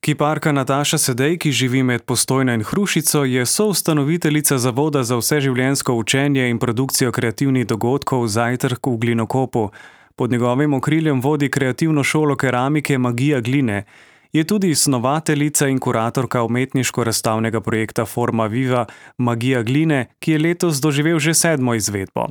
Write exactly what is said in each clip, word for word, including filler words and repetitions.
Kiparka Nataša Sedej, ki živi med Postojno in Hrušico, je soustanoviteljica Zavoda za vseživljenjsko učenje in produkcijo kreativnih dogodkov Zajtrk v Glinokopu. Pod njegovim okriljem vodi kreativno šolo keramike Magija gline. Je tudi snovateljica in kuratorka umetniško-razstavnega projekta Forma Viva Magija gline, ki je letos doživel že sedmo izvedbo.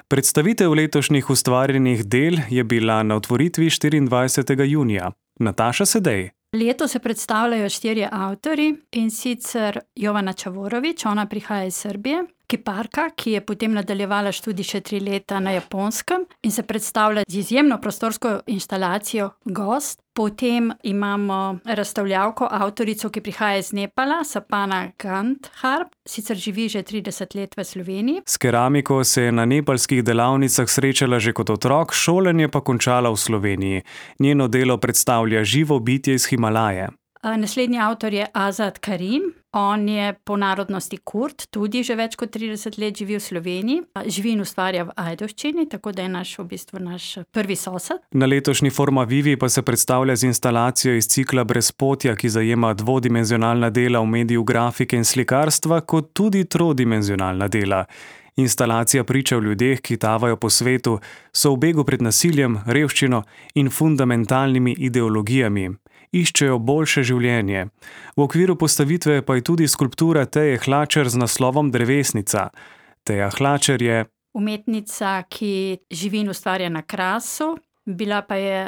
Predstavitev letošnjih ustvarjenih del je bila na otvoritvi štiriindvajsetega junija. Nataša Sedej. Letos se predstavljajo štirje avtorji, in sicer Jovana Čavorović, ona prihaja iz Srbije, kiparka, ki je potem nadaljevala študij še tri leta na Japonskem in se predstavlja z izjemno prostorsko inštalacijo Gost. Potem imamo razstavljavko, avtorico, ki prihaja iz Nepala, Sapana Gandharp, sicer živi že trideset let v Sloveniji. S keramiko se je na nepalskih delavnicah srečala že kot otrok, šolanje pa končala v Sloveniji. Njeno delo predstavlja živo bitje iz Himalaje. Naslednji avtor je Azad Karim. On je po narodnosti Kurd, tudi že več kot trideset let živi v Sloveniji. Živi in ustvarja v Ajdovščini, tako da je naš, v bistvu naš prvi sosed. Na letošnji Forma Vivi pa se predstavlja z instalacijo iz cikla Brezpotja, ki zajema dvodimenzionalna dela v mediju grafike in slikarstva, kot tudi trodimenzionalna dela. Instalacija priča o ljudeh, ki tavajo po svetu, so v begu pred nasiljem, revščino in fundamentalnimi ideologijami. Iščejo boljše življenje. V okviru postavitve pa je tudi skulptura Teje Hlačer z naslovom Drevesnica. Teja Hlačer je umetnica, ki živi in ustvarja na Krasu. Bila pa je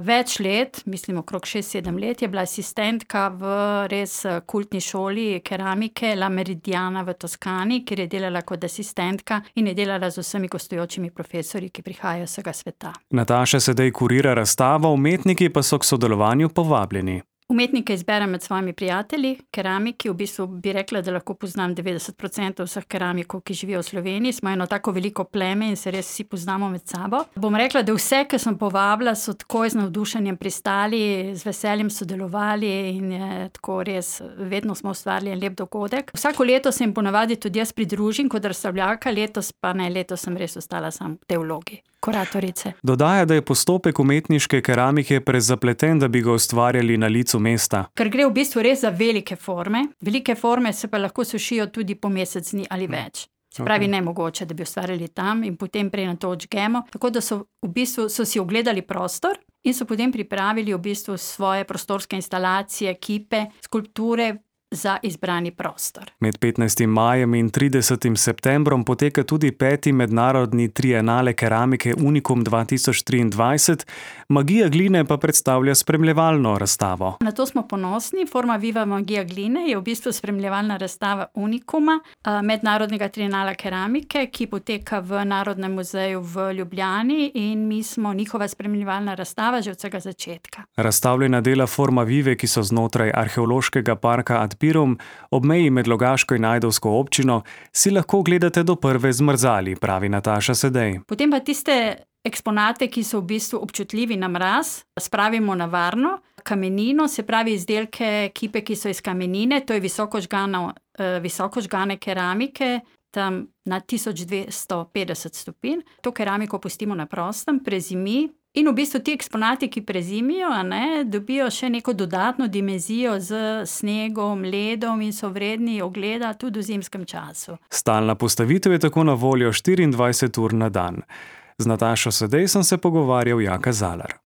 več let, mislim okrog šest sedem let, je bila asistentka v res kultni šoli keramike La Meridiana v Toskani, kjer je delala kot asistentka in je delala z vsemi gostujočimi profesorji, ki prihajajo z vsega sveta. Nataša Sedej kurira razstavo, umetniki pa so k sodelovanju povabljeni. Umetnike izberem med svojimi prijatelji, keramiki, v bistvu bi rekla, da lahko poznam devetdeset procentov vseh keramikov, ki živijo v Sloveniji. Smo eno tako veliko pleme in se res vsi poznamo med sabo. Bom rekla, da vse, ki sem povabila, so takoj z navdušenjem pristali, z veseljem sodelovali in je tako res, vedno smo ustvarili en lep dogodek. Vsako leto se jim ponavadi tudi jaz pridružim kot razstavljavka, letos pa ne, letos sem res ostala sam v tej vlogi kuratorice. Dodaja, da je postopek umetniške keramike prezapleten, da bi ga ustvarjali na licu mesta. Ker gre v bistvu res za velike forme. Velike forme se pa lahko sušijo tudi po mesec dni ali več. Se pravi, okay. Nemogoče, da bi ustvarjali tam in potem prej na to odžgemo. Tako da so v bistvu so si ogledali prostor in so potem pripravili v bistvu svoje prostorske instalacije, kipe, skulpture za izbrani prostor. Med petnajstim majem in tridesetim septembrom poteka tudi peti mednarodni trienale keramike Unikum dva tisoč triindvajset, Magija gline pa predstavlja spremljevalno razstavo. Na to smo ponosni. Forma Viva Magija gline je v bistvu spremljevalna razstava Unikuma, mednarodnega trienala keramike, ki poteka v Narodnem muzeju v Ljubljani in mi smo njihova spremljevalna razstava že od vsega začetka. Razstavljena dela Forma Vive, ki so znotraj arheološkega parka Ad Pirum, ob meji med Logaško in Ajdovsko občino, si lahko gledate do prve zmrzali, pravi Nataša Sedej. Potem pa tiste eksponate, ki so v bistvu občutljivi na mraz, spravimo na varno kamenino, se pravi izdelke, kipe, ki so iz kamenine, to je visoko žgano, visoko žgane keramike, tam na tisoč dvesto petdeset stopinj. To keramiko pustimo na prostem, prezimi. In v bistvu ti eksponati, ki prezimijo, a ne, dobijo še neko dodatno dimenzijo z snegom, ledom in so vredni ogleda tudi v zimskem času. Stalna postavitev je tako na voljo štiriindvajset ur na dan. Z Natašo Sedej sem se pogovarjal Jaka Zalar.